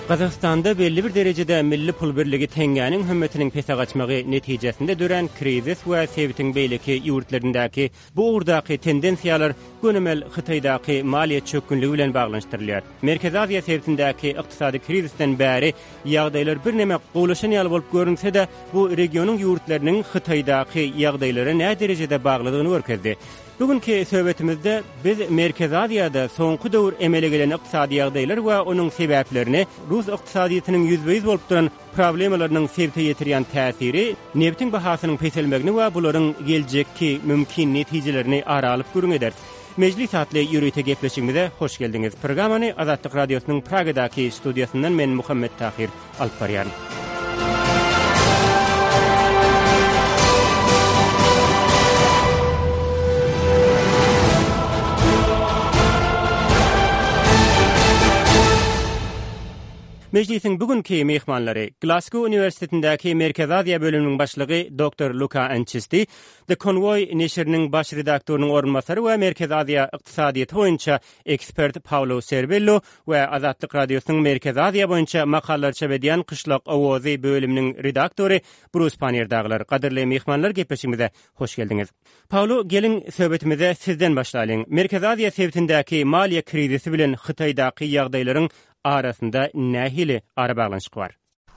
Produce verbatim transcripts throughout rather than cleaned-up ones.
Gazagystanda belli bir derejede milli pul birligi teňňäniň hümmetiniň pese gaçmagy netijesinde dörän krizis we sebitiň beýleki ýurtlaryndaky bu ugurdaky tendensiýalar gönümel Hytaýdaky maliýe çökgünligi bilen baglanyşdyrylýar. Merkezi Aziýa sebitindäki ykdysady krizisden bäri ýagdaýlar birneme gowulaşan ýaly bolup görünse-de, bu regionyň ýurtlarynyň Hytaýdaky ýagdaýlara nä derejede baglydygyny görkezdi. Bugünkü söhbetimizde biz Merkezi Aziýada soňky döwür emele gelen ykdysady ýagdaýlar we onuň sebäplerini, Rus ykdysadyýetiniň ýüzbe-ýüz bolup duran problemalarynyň sebite ýetirýän täsiri, nebitiň bahasynyň peselmegini we bularyň geljekki mümkin netijelerini ara alyp gürrüň ederis. Mejlis atly ýörite gepleşigimize hoş geldiňiz. Programmany Azatlyk Radiosynyň Pragadaky studiýasyndan men Muhammet Tahir alyp barýaryn. Mejlisiň bugünkü mehmanlary Glasgow Uniwersitetindäki Merkezi Aziýa bölüminiň başlygy Doktor Luka Ançisti, The Convoy neşiriniň baş redaktorynyň orunbasary we Merkezi Aziýa ykdysadyýeti boýunça ekspert Paolo Serbello we Azatlyk Radiosynyň Merkezi Aziýa boýunça makalalar çap edýän Kyşlak Owazy bölüminiň redaktory Brus Pannier dagylar. Gadyrly mehmanlar, gepleşigimize hoş geldiňiz. Paolo, geliň söhbetimize sizden başlalyň. Merkezi Aziýa sebitindäki maliýe krizisi bilen Hytaýdaky ýagdaýlaryň arasynda nähili arabaglanyşyk bar?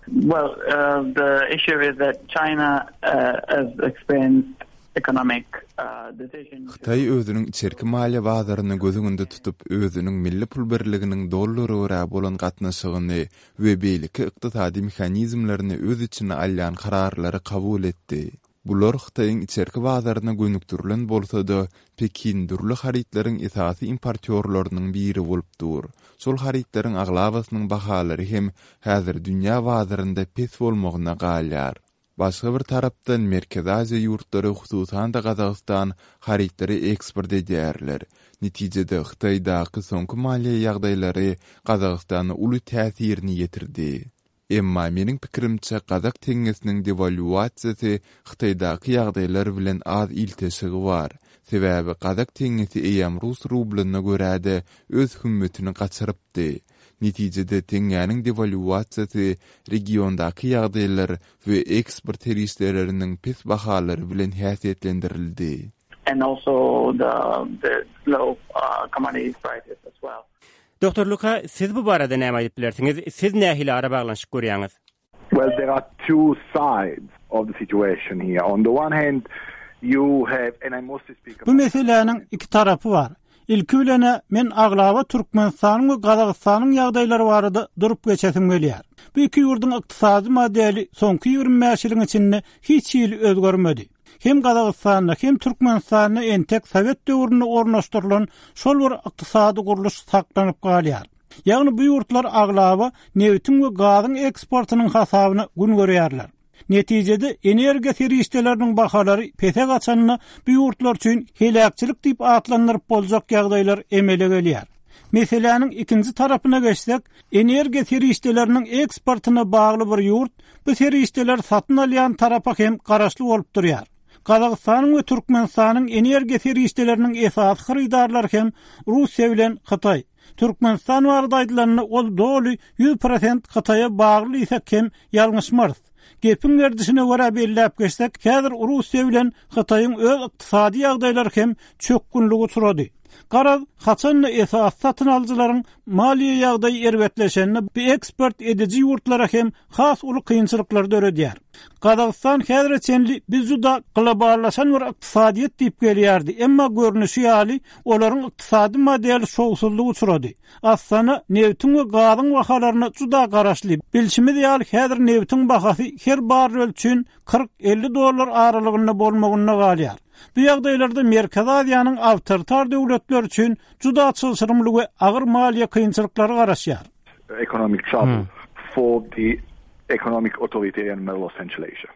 Well, uh, the issue is that China uh, has experienced economic uh, decision. Hytaý özüniň içerki maliýe bazaryny göz öňünde tutup, özüniň milli pul birliginiň dollara görä bolan gatnaşygyny we beýleki ykdysady mehanizmlerini öz içine alýan kararlary kabul etdi. Bular Hytaýyň içerki bazaryna gönükdirilen bolsa-da, Pekin dürli harytlaryň esasy importýorlarynyň biri bolup dur. Şol harytlaryň aglabasynyň bahalary hem häzir dünýä bazarynda pes bolmagyna galýar. Başga bir tarapdan Merkezi Aziýa ýurtlary, hususan-da Gazagystan harytlary eksport edýärler. Netijede Hytaýdaky soňky maliýe ýagdaýlary Gazagystana uly täsirini ýetirdi. Emma meniň pikirimçe Gazak teňňesiniň dewaluasiýasy Hytaýdaky ýagdaýlar bilen az ilteşigi bar. Sebäbi Gazak teňňesi eýýäm rus rublyna görä-de öz hümmetini gaçyrypdy. Netijede teňňäniň dewaluasiýasy regiondaky ýagdaýlar we eksport serişdeleriniň pes bahalary bilen häsiýetlendirildi. And also the, the low uh, commodity prices as well. Doktor Luka, siz bu barada näme aýdyp bilersiňiz? Siz nähili arabaglanyşyk görýäňiz? Well, there are two sides of the situation here. On the one hand, you have, and I mostly speak Bu meseläniň iki tarapy bar. Ilki bilen men aglaba Türkmenistanyň we Gazagystanyň ýagdaýlary barada durup geçesim gelýär. Bu iki ýurduň ykdysady modeli soňky ýigrimi bäş ýylyň içinde hiç hili özgermedi. Hem Gazagystanda hem Türkmenistanda entek Sowet döwründe ornaşdyrylan şol bir ykdysady gurluş saklanyp galýar. Ýagny bu ýurtlar aglaba nebitiň we gazyň eksportynyň hasabyna gün görýärler. Netijede energiýa serişdeleriniň bahalary pese gaçanda bu ýurtlar üçin heläkçilik diýip atlandyryp boljak ýagdaýlar emele gelýär. Meseläniň ikinji tarapyna geçsek, energiýa serişdeleriniň eksportyna bagly bir ýurt bu serişdeler satyn alýan tarapa hem garaşly bolup durýar. Gazagystanyň we Türkmenistanyň energiýa serişdeleriniň esasy hyrydarlary hem Russiýa bilen Hytaý. Türkmenistan barada aýdylanda ol doly ýüz prosent Hytaýa bagly diýsek hem ýalňyşmarys. Gepiň gerdişine görä belläp geçsek, häzir Russiýa bilen Hytaýyň öz ykdysady ýagdaýlary hem çökgünligi uçrady. Garaz, haçanda esasy satyn alyjylaryň maliýe ýagdaýy erbetleşende bu eksport ediji ýurtlara hem has uly kynçylyklar döredýär. Gazagystan häzire çenli biz juda globallaşan bir ykdysadyýet diýip gelýärdi, emma görnüşi ýaly olaryň ykdysady modeli şowsuzlyk uçrady. Aslynda nebitiň we gazyň bahalaryna juda garaşly. Bilşimiz ýaly häzir nebitiň bahasy her barrel üçin kyrk elli dollar aralygynda bolmagynda galýar. Bu ýagdaýlarda Merkezi Aziýanyň awtoritar döwletleri üçin juda çylşyrymly we agyr maliýe kynçylyklary garaşýar. Economic trouble for the economic authoritarian model of Central Asia.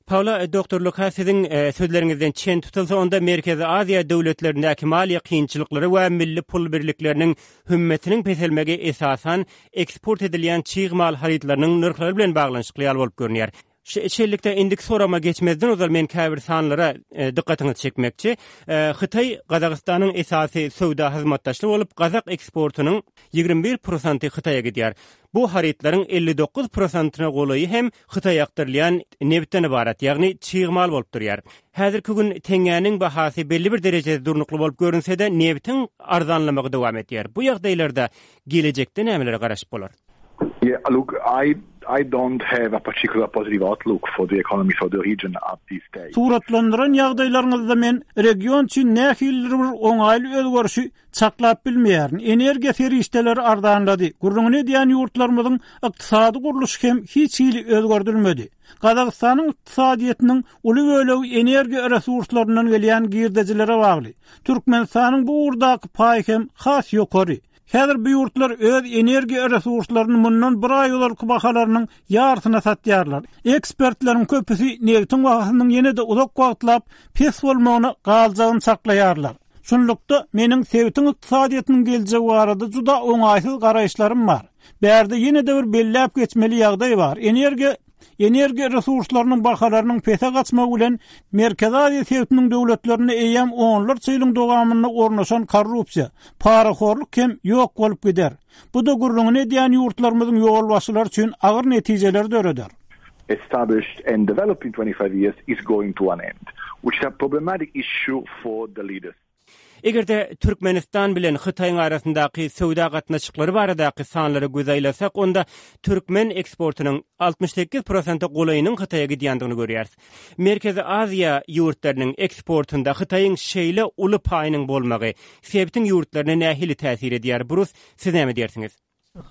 Paolo, Doktor Luka, siziň, e, sözleriňizden çen tutulsa, onda Merkezi Aziýa döwletlerindäki maliýe kynçylyklary we milli pul birlikleriniň hümmetiniň peselmegi esasan eksport edilýän çig mal harytlarynyň nyrhlary bilen baglanyşykly ýaly bolup görünýär. Şeýlelikde indiki soragyma geçmezden ozal men käbir sanlara dykgatyňyzy çekmekçi. Hytaý Gazagystanyň esasy söwda hyzmatdaşly bolup, gazak eksportynyň ýigrimi bir prosenty Hytaýa gidýär. Bu harytlaryň elli dokuz prosentyna golaýy hem Hytaýa akdyrylýan nebitden ybarat, ýagny çig mal bolup durýar. Häzirki gün teňňäniň bahasy belli bir derejede durnukly bolup görünse-de, nebitiň arzanlamagy dowam edýär. Bu ýagdaýlarda gelejekde nämelere garaşyp bolar? Yeah, look, I I don't have a particular positive outlook for the economy for the region at this stage. Suratlandyran ýagdaýlaryňyzda men region üçin nähilidir bir oňaýly özgerişi çaklap bilmeýärin. Energiýa serişdeleri arzanlady. Gürrüňini edýän ýurtlarymyzyň ykdysady gurluşy hem hiç hili özgerdilmedi. Gazagystanyň ykdysadyýetiniň uly bölegi energiýa resurslaryndan gelýän girdejilere bagly. Türkmenistanyň bu ugurdaky paýy hem has ýokary. Häzir bu ýurtlar öz energiýa resurslaryny mundan bir aý ozalky bahalarynyň ýarysyna satýarlar. Ekspertleriň köpüsi nebitiň bahasynyň ýene-de uzak wagtlap pes bolmagyna galjagyny çaklaýarlar. Şunlukda meniň sebitiň ykdysadyýetiniň geljegi barada juda oňaýsyz garaýyşlarym bar. Bärde ýene-de bir belläp geçmeli ýagdaý bar. Energiýa energiýa resurslarynyň bahalarynyň pese gaçmagy bilen Merkezi Aziýa sebitiniň döwletlerinde eýýäm onlarça ýylyň dowamynda ornaşan korrupsiýa, parahorluk hem ýok bolup gider. Bu da gürrüňini edýän ýurtlarymyzyň ýolbaşçylary üçin agyr netijeler döreder. Established and developed in twenty-five years is going to an end, which is a problematic issue for the leaders. Eger-de Türkmenistan bilen Hytaýyň arasyndaky söwda gatnaşyklary baradaky sanlara göz aýlasak, onda türkmen eksportynyň altmyş sekiz prosente golaýynyň Hytaýa gidýändigini görýäris. Merkezi Aziýa ýurtlarynyň eksportynda Hytaýyň şeýle uly paýynyň bolmagy sebitiň ýurtlaryna nähili täsir edýär? Brus, siz näme diýersiňiz?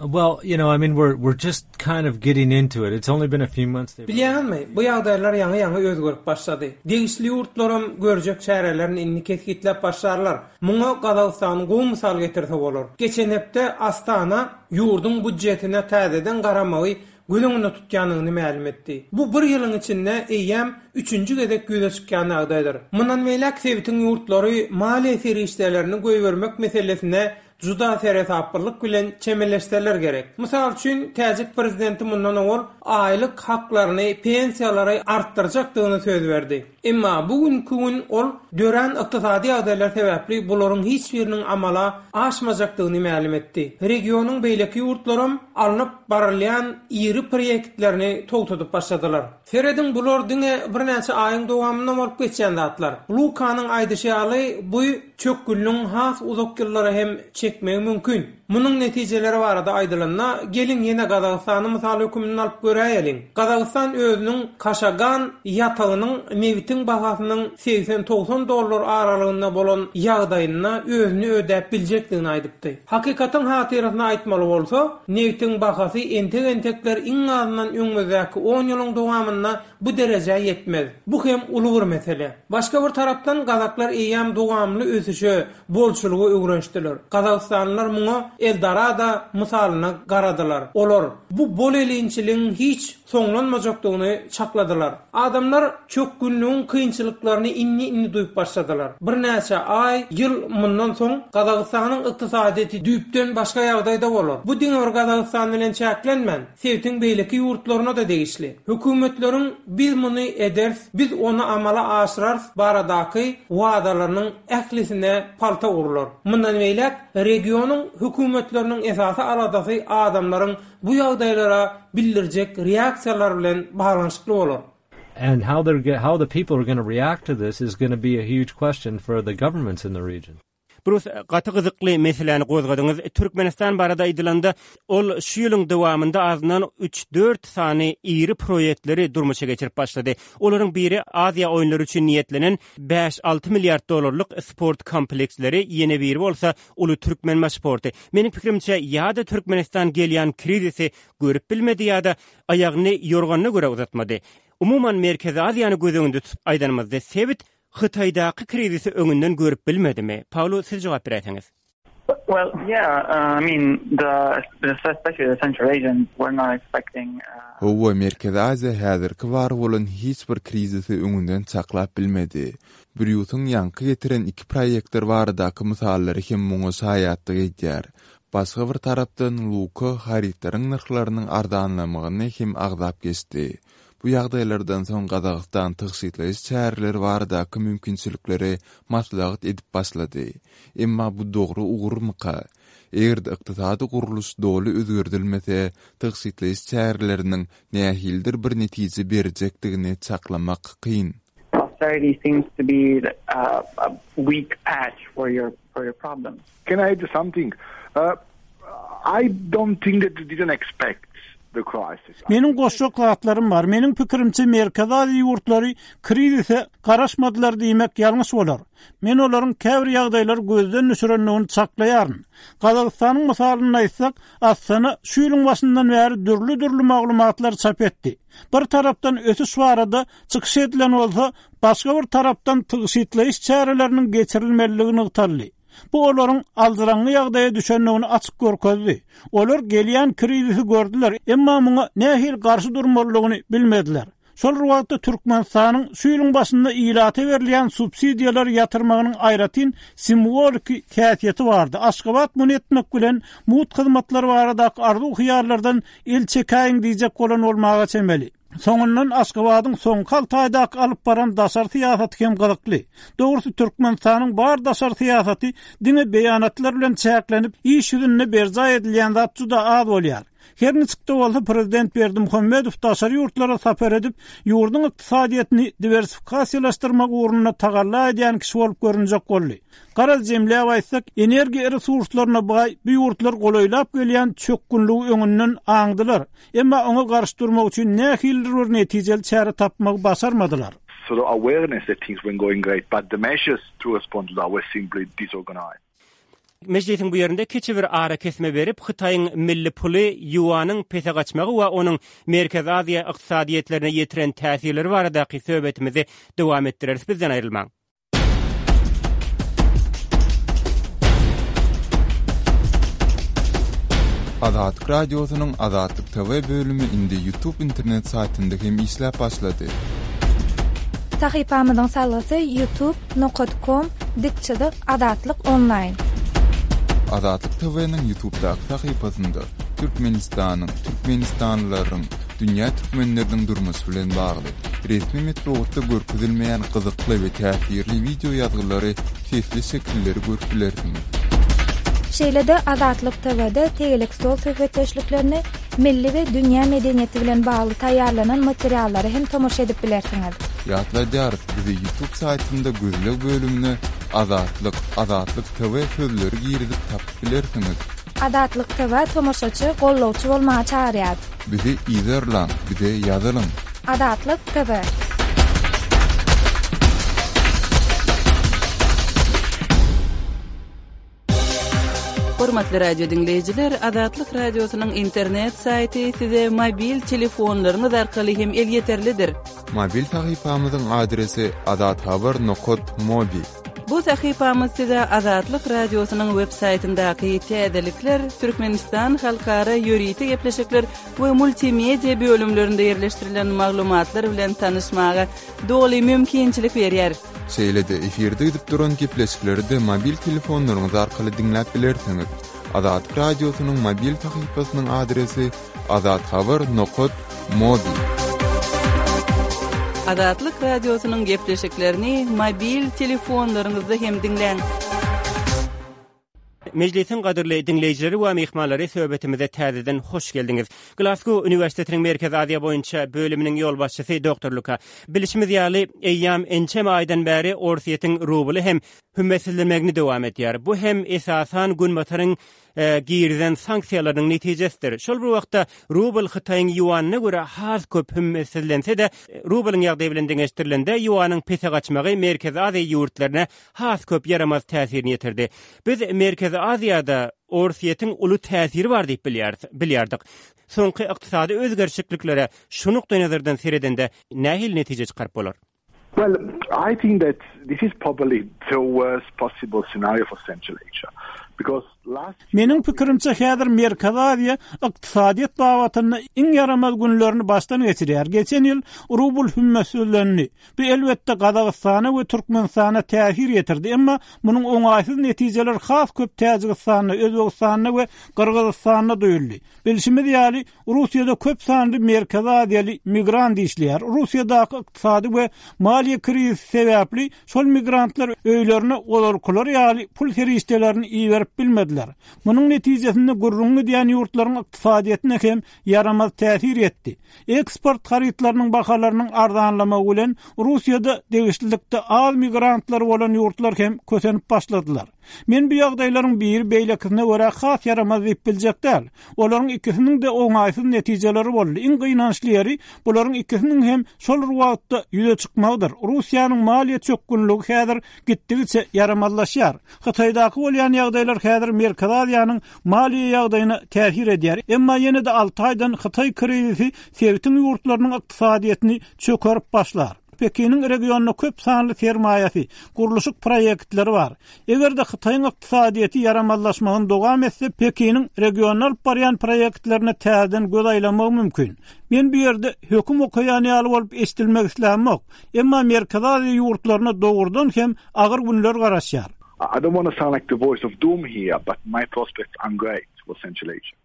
Well, you know, I mean, we're, we're just kind of getting into it. It's only been a few months. Bilýäňizmi, bu ýagdaýlar ýaňy-ýaňy özgerip başlady. Degişli ýurtlaram görjek çärelerini indi kesgitläp başlarlar. Muňa Gazagystanyň gowy mysal getirse bolar. Geçen hepde Astana ýurduň budjetine täzeden garamagy göz öňünde tutýanyny mälim etdi. Bu bir ýylyň içinde eýýäm üçünji gezek ýüze çykýan ýagdaýdyr. Mundan beýläk sebitiň ýurtlary maliýe serişdelerini goýbermek meselesine juda seresaplylyk bilen çemeleşseler gerek. Mysal üçin, täjik prezidenti mundan owal aýlyk haklaryny, pensiýalary artdyrjakdygyny söz berdi. Emma bugünkü gün ol dörän ykdysady ýagdaýlar sebäpli bularyň hiç biriniň amala aşmajakdygyny mälim etdi. Regionyň beýleki ýurtlaram alnyp barylýan iri proýektlerini togtadyp başladylar. Serediň, bular diňe birnäçe aýyň dowamynda bolup geçýän zatlar. Lukanyň aýdyşy ýaly, bu çökgünligiň has uzak ýyllara hem çekmegi mümkin. Munuň netijeleri barada aýdylanda, geliň ýene Gazagystany mysal hökmünde alyp göräýeliň. Gazagystan özüniň Kaşagan ýatagynyň nebitiň bahasynyň segsen togsan dollar aralygynda bolan ýagdaýynda özüni ödäp biljekdigini aýdypdy. Hakykatyň hatyrasyna aýtmaly bolsa, nebitiň bahasy entek-entekler iň azyndan öňümizdäki on ýylyň dowamynda bu derejä ýetmez. Bu hem uly bir mesele. Başga bir tarapdan Gazaklar eýýäm dowamly ösüşe, bolçulyga öwrenişdiler. Gazagystanlylar muňa Eldorado mysalyna garadylar. Olar bu bol elinçiligiň hiç soňlanmajakdygyny çakladylar. Adamlar çökgünligiň kynçylyklaryny indi-indi duýup başladylar. Birnäçe aý, ýyl mundan soň Gazagystanyň ykdysadyýeti düýpden başga ýagdaýda bolar. Bu diňe bir Gazagystan bilen çäklenmän, sebitiň beýleki ýurtlaryna da degişli. Hökümetleriň biz muny ederiz, biz ony amala aşyrarys baradaky wadalarynyň ählisine palta urlar. Mundan beýläk regionyň hökümetleriniň esasy aladasy adamlaryň bu ýagdaýlara bildirjek reaksiýalar bilen baglanyşykly bolar. And how they're how the people are gonna react to this is gonna be a huge question for the governments in the region. Brus, gaty gyzykly meseläni gozgadyňyz. Türkmenistan barada aýdylanda, ol şu ýylyň dowamynda azyndan üç-dört sany iri proýektleri durmuşa geçirip başlady. Olaryň biri Aziýa oýunlary üçin niýetlenen bäş-alty milliard dollarlyk sport kompleksleri, ýene biri bolsa uly Türkmenbaşy porty. Meniň pikirimçe, ýa-da Türkmenistan gelýän krizisi görüp bilmedi ýa-da aýagyny ýorganyna görä uzatmady. Umuman Merkezi Aziýany göz öňünde tutup aýdanymyzda sebit Hytaýdaky krizisi öňünden görüp bilmedimi? Paolo, siz jogap beräýseňiz. Well, yeah, uh, I mean, the, the especially the Central Asians were not expecting, uh, Hawa, Merkezi Aziýa häzirki bar bolan hiç bir krizisi öňünden çaklap bilmedi. Brýusyň ýaňky getiren iki proýektler baradaky mysallary hem muňa şaýatlyk edýär. Başga bir tarapdan Luka harytlaryň nyrhlarynyň arzanlamagyny hem agzap geçdi. Bu ýagdaýlardan soň Gazagystan tygşytlaýyş çäreleri baradaky mümkinçilikleri maslahat edip başlady. Emma bu dogry ugurmyka? Eger-de ykdysady gurluş doly özgerdilmese, tygşytlaýyş çäreleriniň nähilidir bir netije berjekdigini çaklamak kyn. Austerity seems to be a, a weak patch for your for your problems. Can I add something? Uh, I don't think that they didn't expect the crisis. Meniň goşjak zatlarym bar. Meniň pikirimçe Merkezi Aziýa ýurtlary krizise garaşmadylar diýmek ýalňyş bolar. Men olaryň käbir ýagdaýlary gözden düşürendigini çaklaýaryn. Gazagystanyň mysalyny aýtsak, Astana şu ýylyň başyndan bäri dürli-dürli maglumatlar çap etdi. Bir tarapdan ösüş barada çykyş edilen bolsa, başga bir tarapdan tygşytlaýyş çäreleriniň geçirilmeliligi nygtaldy. Bu olaryň aldyraňňy ýagdaýa düşendigini açyk görkezdi. Olar gelýän krizisi gördüler, emma muňa nähili garşy durmalydygyny bilmediler. Şol wagtda Türkmenistanyň şu ýylyň başynda ilata berilýän subsidiýalary ýatyrmagynyň aýratyn simwoliki häsiýeti bardy. Aşgabat muny etmek bilen mugt hyzmatlar baradaky arzuw hyýallardan el çekäýin diýjek bolan bolmaga çemeli. Soňundan Aşgabadyň soňky alty aýdaky alyp baran daşary syýasaty hem gyzykly. Dogrusy Türkmenistanyň bar daşary syýasaty diňe beýanatlar bilen çäklenip, iş ýüzünde berjaý edilýän zat juda az bolýar. Her niçik-de bolsa prezident Berdimuhamedow daşary ýurtlara sapar edip, ýurduň ykdysadyýetini diwersifikasiýalaşdyrmak ugrunda tagalla edýän kişi bolup görünjek boldy. Garaz jemläp aýtsak, energiýa resurslaryna baý bu ýurtlar golaýlap gelýän çökgünligi öňünden aňdylar. Emma oňa garşy durmak üçin nähilidir bir netijeli çäre tapmagy başarmadylar. Sort of awareness that things weren't going great, but the measures to respond to that were simply disorganized. Mejlisiň bu ýerinde kiçi bir ara kesme berip, Hytaýyň milli puly ýuanyň pese gaçmagy we onuň Merkezi Aziýa ykdysadyýetlerine ýetiren täsirleri baradaky söhbetimizi dowam etdireris. Bizden aýrylmaň. Azatlyk Radiosynyň Azatlyk T V bölümi indi YouTube internet saýtynda hem işläp başlady. Sahypamyzyň salgysy youtube nokta com dik çyzyk Azatlyk online. Azatlyk T V-niň YouTube'daky sahypasynda Türkmenistanyň, Türkmenistanlylaryň, dünýä türkmenleriniň durmuşy bilen bagly resmi metbugatda görkezilmeýän gyzykly we täsirli wideo ýazgylary, sesli şekilleri görüp bilersiňiz. Şeýle-de Azatlyk T V-de tegelek stol söhbetdeşliklerini, milli we dünýä medeniýeti bilen bagly taýýarlanan materiallary hem tomaşa edip bilersiňiz. Ýatladýarys, bizi YouTube saýtynda gözleg bölümine Azatlyk, Azatlyk T V sözleri girizip tapyp bilersiňiz. Azatlyk T V tomaşaçy, gollawçy bolmaga çagyrýar. Bizi yzarlaň, bize ýazylyň. Azatlyk T V. Hormatly radio diňleýjiler, Azatlyk Radiosynyň internet saýty size mobil telefonlaryňyz arkaly hem elýeterlidir. Mobil sahypamyzyň adresi azathabar nokta mobi. Bu sahypamyz size Azatlyk Radiosynyň web saýtyndaky täzelikler, Türkmenistan halkara ýörite gepleşikler we multimedia bölümlerinde ýerleşdirilen maglumatlar bilen tanyşmaga doly mümkinçilik berýär. Şeýle-de efirde gidip duran gepleşikleri de mobil telefonlaryňyz arkaly diňläp bilersiňiz. Azatlyk Radiosynyň mobil sahypasynyň adresi azathabar nokta mobi. Azatlyk Radiosynyň gepleşiklerini mobil telefonlaryňyzda hem diňläň. Mejlisiň gadyrly diňleýjileri we myhmanlary, söhbetimize täzeden hoş geldiňiz. Glasgow Uniwersitetiniň Merkezi Aziýa boýunça bölüminiň ýolbaşçysy Doktor Luka. Bilişimiz ýaly, eýýam ençeme aýdan bäri Orsýetiň rubly hem hümmetsizlenmegini dowam edýär. Bu hem esasan Günbataryň e, girizen sanksiýalarynyň netijesidir. Şol bir wagtda rubl Hytaýyň ýuanyna görä has köp hümmetsizlense de, rublyň ýagdaýy bilen deňeşdirilende ýuanyň pese gaçmagy Merkezi Aziýa ýurtlaryna has köp ýaramaz täsirini ýetirdi. Biz Merkezi Aziýada Orsýetiň uly täsiri bar diýip bilýäris, bilýärdik. Soňky ykdysady özgerişliklere şu nukdaý nazardan seredende nähili netije çykaryp bolar? Well, I think that this is probably the worst possible scenario for Central Asia. Because last Meniň pikirimçe häzir Merkezi Aziýa ykdysadyýet babatynda iň ýaramaz günlerini başdan geçirýär. Geçen ýyl rubl hümmetsizlendi. Bu elbetde Gazagystana we Türkmenistana täsir ýetirdi. Emma munuň oňaýsyz netijeleri has köp Täjigistanda, Özbegistanda we Gyrgyzystanda duýuldy. Bilşimiz ýaly, Russiýada köp sanly Merkezi Aziýaly migrant işleýär. Russiýadaky ykdysady we maliýe krizisi sebäpli şol migrantlar öýlerine ozalkylar ýaly pul serişdelerini iberip bilmediler. Munuň netijesinde gürrüňi edýän ýurtlaryň ykdysadyýetine hem ýaramaz täsir etdi. Eksport harytlarynyň bahalarynyň arzanlamagy bilen Russiýada degişlilikde az migrantlar bolan ýurtlar hem kösenip başladylar. Men bu ýagdaýlaryň biri beýlekisine görä has ýaramaz diýip biljek däl. Olaryň ikisiniň de oňaýsyz netijeleri boldy. Iň gynançly ýeri bularyň ikisiniň hem şol bir wagtda ýüze çykmagydyr. Russiýanyň maliýe çökgünligi häzir gitdigiçe ýaramazlaşýar. Hytaýdaky bolýan ýagdaýlar häzir Merkezi Aziýanyň maliýe ýagdaýyna täsir edýär. Emma ýene de alty aýdan Hytaý krizisi sebitiň ýurtlarynyň ykdysadyýetini çökerip başlar. Pekiniň regionda köp sanly sermaýasy, gurluşyk proýektleri bar. Eger-de Hytaýyň ykdysadyýeti ýaramazlaşmagyny dowam etse, Pekiniň regionda alyp barýan proýektlerine täzeden göz aýlamagy mümkin. Men bu ýerde höküm okaýan ýaly bolup eşidilmek islämok. Emma Merkezi Aziýa ýurtlaryna dogrudan hem agyr günler garaşýar. I don't want to sound like the voice of doom here, but my prospects aren't great for Central Asia.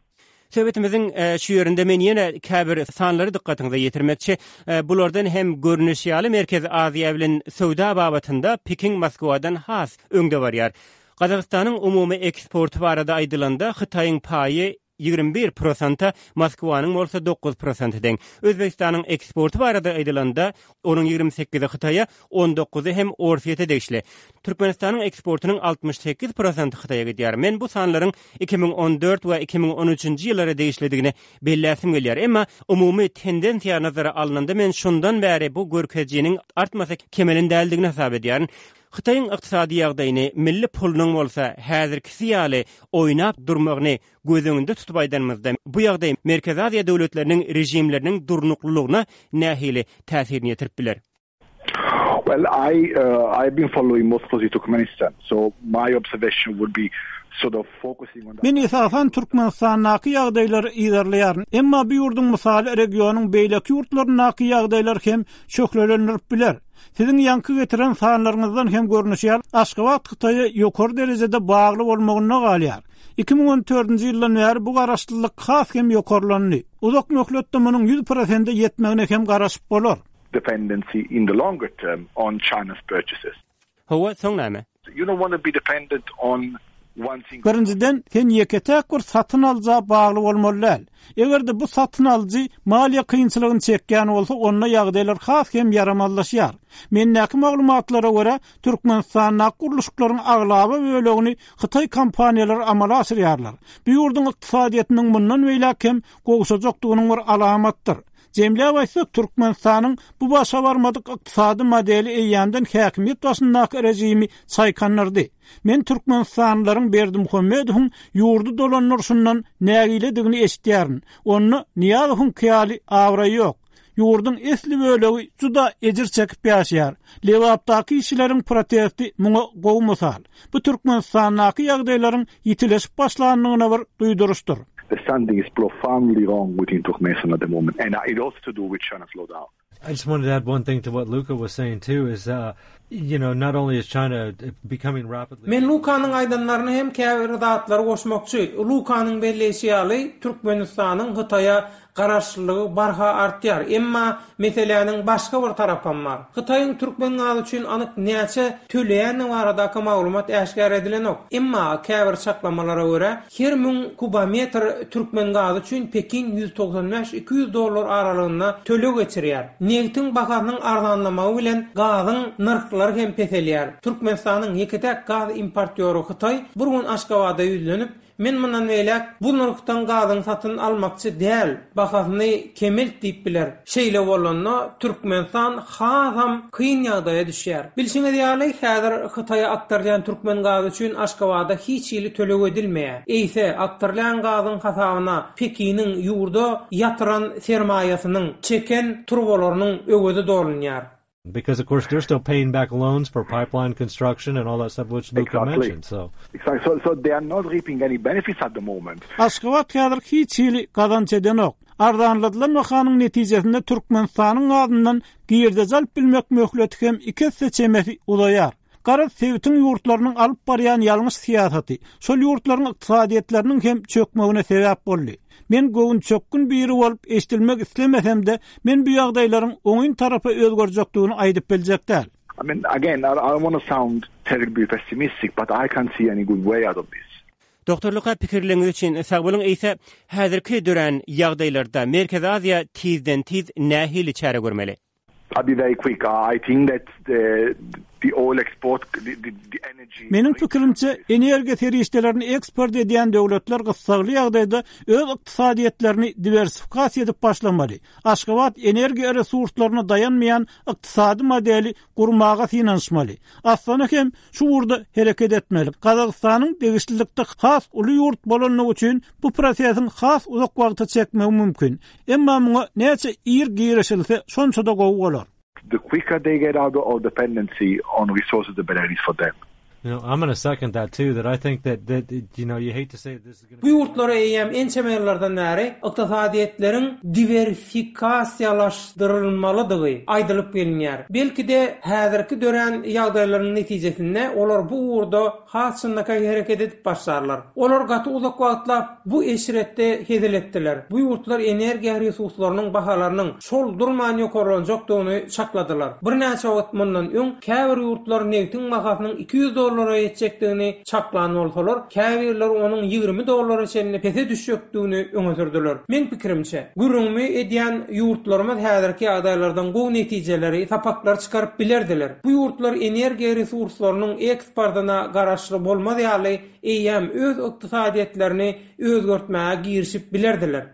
Söhbetimiziň e, şu ýerinde men ýene käbir sanlary dykgatyňyza ýetirmekçi. E, bulardan hem görnüş ýaly Merkezi Aziýa bilen söwda babatynda Pekin Moskwadan has öňde barýar. Gazagystanyň umumy eksporty barada aýdylanda Hytaýyň paýy ýigrimi bir prosenta, Moskwanyň bolsa dokuz prosenti deň. Özbegistanyň eksporty barada aýdylanda, onuň ýigrimi sekizi Hytaýa, on dokuzy hem Orsýete degişli. Türkmenistanyň eksportynyň altmyş sekiz prosenti Hytaýa gidýär. Men bu sanlaryň iki müň on dört we iki müň on üçünji ýyllara degişlidigini belläsim gelýär. Emma umumy tendensiýa nazara alnanda men şundan bäri bu görkezijiniň artmasa kemelen däldigini hasap edýärin. Hytaýyň ykdysady ýagdaýyny milli pulunyň bolsa häzirkisi ýaly oýnap durmagyny göz öňünde tutup aýdanymyzda, bu ýagdaý Merkezi Aziýa döwletleriniň režimleriniň durnuklylygyna nähili täsirini ýetirip biler? Well, I, uh, I've been following most closely Turkmenistan, so my observation would be sort of focusing on that. Men esasan Türkmenistandaky ýagdaýlary yzarlaýaryn. Emma bu ýurduň mysaly regionyň beýleki ýurtlaryndaky ýagdaýlar hem şöhlelendirip biler. Siziň ýaňky getiren sanlaryňyzdan hem görnüşýär, Aşgabat Hytaýa ýokary derejede bagly bolmagyna galýar. Iki müň on dördünji ýyldan bäri bu garaşlylyk has hem ýokarlandy. Uzak möhletde munuň ýüz prosente ýetmegine hem garaşyp bolar. Dependency in the longer term on China's purchases. Hawa, soň näme? You don't want to be dependent on one single Birinjiden, sen ýeke-täk bir satyn alyja bagly bolmaly däl. Eger-de bu satyn alyjy maliýe kynçylygyny çekýän bolsa, onda ýagdaýlar has hem ýaramazlaşýar. Mendäki maglumatlara görä, Türkmenistandaky gurluşyklaryň aglaba bölegini Hytaý kompaniýalary amala aşyrýarlar. Bu ýurduň ykdysadyýetiniň mundan beýläk hem gowşajakdygynyň bir alamatdyr. Jemläp aýtsak, Türkmenistanyň bu başa barmadyk ykdysady modeli eýýämden häkimiýet başyndaky režimi çaýkandyrdy. Men Türkmenistanlylaryň Berdimuhamedowyň ýurdy dolandyryşyndan nägiledigini eşitýärin. Onda Nyýazowyň kyýaly abraýy ýok. Ýurduň esli bölegi juda ejir çekip ýaşaýar. Lebapdaky işçileriň protesti muňa gowy mysal. Bu Türkmenistandaky ýagdaýlaryň ýitileşip başlandygyna bir duýduryşdyr. The something is profoundly wrong within Turkmenistan at the moment, and it also to do with China slowdown. I just wanted to add one thing to what Luca was saying too, is, uh, you know, not only is China becoming rapidly... Men Lukanyň aýdanlaryny hem käbir zatlary goşmakçy. Lukanyň belleýşi ýaly, Türkmenistanyň Hytaýa garaşlylygy barha artýar. Emma meseläniň başga bir tarapam bar. Hytaýyň türkmen gazy üçin anyk näçe töleýäni baradaky maglumat äşgär edilenok. Emma käbir çaklamalara görä, her müň kubometr türkmen gazy üçin Pekin ýüz togsan bäş iki ýüz dollar aralygynda töleg geçirýär. Nebitiň bahasynyň arzanlamagy bilen gazyň nyrhlary hem peselýär. Türkmenistanyň ýeke-täk gaz importýory Hytaý bir gün Aşgabada ýüzlenip, Men mundan beýläk bu nyrhdan gazyň satyn almakçy däl, bahasyny kemelt diýip biler. Şeýle bolanda Türkmenistan hasam kyn ýagdaýa düşýär. Bilşiňiz ýaly, häzir Hytaýa akdyrylýan türkmen gazy üçin Aşgabada hiç hili töleg edilmeýär. Eýse, akdyrylýan gazyň hasabyna Pekiniň ýurda ýatyran sermaýasynyň, çeken turbalarynyň öwezi dolunýar. Because of course they're still paying back loans for pipeline construction and all that stuff which Luca Exactly. mentioned. So Exactly. So, so they are not reaping any benefits at the moment. Aşgabat häzir hiç hili gazanç edenok. Arzanladylan bahanyň netijesinde Türkmenistanyň adyndan girdeji alyp bilmek möhleti hem iki esse çemesi uzaýar. Garaz sebitiň ýurtlarynyň alyp barýan ýalňyş syýasaty, şol ýurtlaryň ykdysadyýetleriniň hem çökmegine sebäp boldy. Men göwün çökgün biri bolup eşdilmek islemesem-de, men bu ýagdaýlaryň oňyn tarapa özgerjekdigini aýdyp biljek däl. I mean, again, I, I don't want to sound terribly pessimistic, but I can't see any good way out of this. Doktor Luka pikirleriňiz üçin sag boluň eýse häzirki dörän ýagdaýlarda Merkezi Aziýa tizden tiz nähili çäre görmeli? I'll be very quick. I think that the, the oil export, the, the, the energy... Meniň pikirimçe energiýa serişdelerini eksport edýän döwletler gyssagly ýagdaýda öz ykdysadyýetlerini diwersifikasiýa edip başlamaly. Aşgabat energiýa resurslaryna daýanmaýan ykdysady modeli gurmaga synanyşmaly. Astana hem şu ugurda hereket etmeli. Gazagystanyň degişlilikde has uly ýurt bolanlygy üçin bu prosesiň has uzak wagta çekmegi mümkin. Emma muňa näçe ir girişilse şonça-da gowy bolar. The quicker they get out of dependency on resources, the better it is for them. You know, I'm going to second that too. That I think that that you know, you hate to say this is going Bu ýurtlara eýýäm ençeme ýyllardan bäri ykdysadyýetleriň diwersifikasiýalaşdyrylmalydygy aýdylyp gelinýär. Belki-de häzirki dörän ýagdaýlaryň netijesinde olar bu ugurda has çynlakaý hereket edip başlarlar. Olar gaty uzak wagtlap bu eşretde hezil etdiler. Bu ýurtlar energiýa resurslarynyň bahalarynyň şol durman ýokarlanjakdygyny çakladylar. Birnäçe wagt mundan öň käbir ýurtlar nebtiň bahasynyň iki ýüz dollara ýetjekdigini çaklan bolsalar, käbirleri onuň ýigrimi dollara çenli pese düşjekdigini öňe sürdüler. Men pikirimçe, gürrüňimi edýän ýurtlarymyz häzirki ýagdaýlardan gowy netijeleri, sapaklar çykaryp bilerdiler. Bu ýurtlar energiýa resurslarynyň eksportyna garaşly bolmaz ýaly eýýäm öz ykdysadyýetlerini özgertmäge girişip bilerdiler.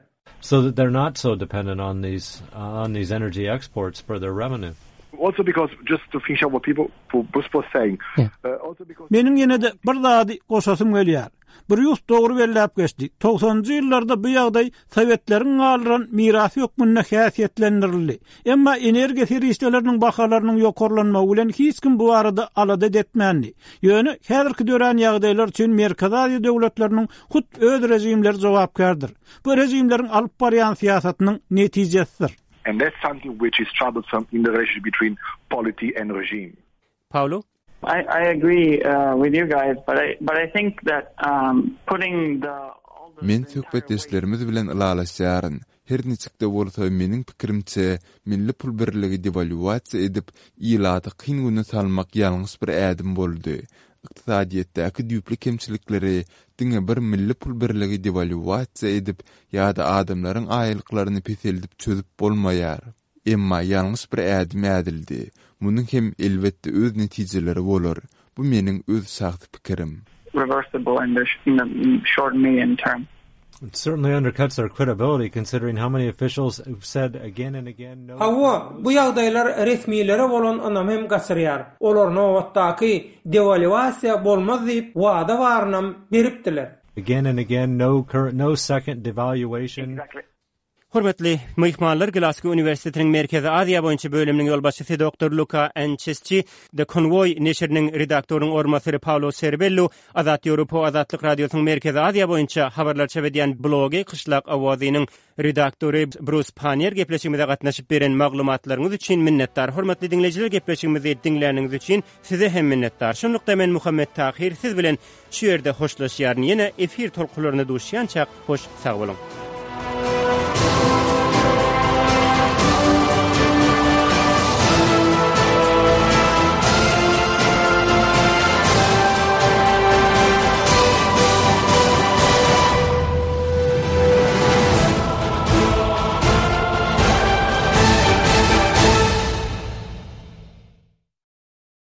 So that they're not so dependent on these, uh, on these energy exports for their revenue. Also because, just to finish up what people, Bruce was saying, Yeah. uh, also because Meniň ýene-de bir zady goşasym gelýär. Brýus dogry belläp geçdi. Togsanynjy ýyllarda bu ýagdaý Sowetleriň galdyran mirasy hökmünde häsiýetlendirildi. Emma energiýa serişdeleriniň bahalarynyň ýokarlanmagy bilen hiç kim bu arada alada etmändi. Ýöne häzirki dörän ýagdaýlar üçin Merkezi Aziýa döwletleriniň hut öz rejimleri jogapkärdir. Bu rejimleriň alyp barýan syýasatynyň netijesidir. And that's something which is troublesome in the relationship between polity and regime. Paolo? I, I agree, uh, with you guys, but I, but I think that, um, putting the all the Men söhbetdeşlerimiz bilen ylalaşýaryn. Her niçik-de bolsa meniň pikirimçe milli pul birligi devalýuasiýa edip ilaty kyn güne salmak ýalňyş bir ädim boldy. Ykdysadyýetdäki düýpli kemçilikleri diňe bir milli pul birligi devalýuasiýa edip ýa-da adamlaryň aýlyklaryny peseldip çözüp bolmaýar. Emma ýalňyş bir ädim ädildi. Munuň hem elbetde öz netijeleri bolar. Bu meniň öz şahsy pikirim. Reversible in the, in the short medium term. It certainly undercuts their credibility considering how many officials have said again and again no. Hawa, bu ýagdaýlar resmilere bolan ynamy hem gaçyrýar. Olar nobatdaky devalýuasiýa bolmaz diýip wada barynam beripdiler. Again and again no current, no second devaluation. Exactly. Hormatly myhmanlar, Glasgow Uniwersitetiniň Merkezi Aziýa boýunça bölüminiň ýolbaşçysy Doktor Luka Ançesçi, The Convoy neşiriniň redaktorynyň orunbasary Paolo Serbello, Azat Ýewropa Azatlyk Radiosynyň Merkezi Aziýa boýunça habarlar çap edýän blogy Gyşlak Owazynyň redaktory Brus Pannier gepleşigimize gatnaşyp beren maglumatlaryňyz üçin minnetdar. Hormatly diňleýjiler, gepleşigimizi diňläniňiz üçin size hem minnetdar. Şunlukda men Muhammet Tahir siz bilen şu ýerde hoşlaşýaryn. Ýene efir tolkunlaryna duşýança hoş sag boluň.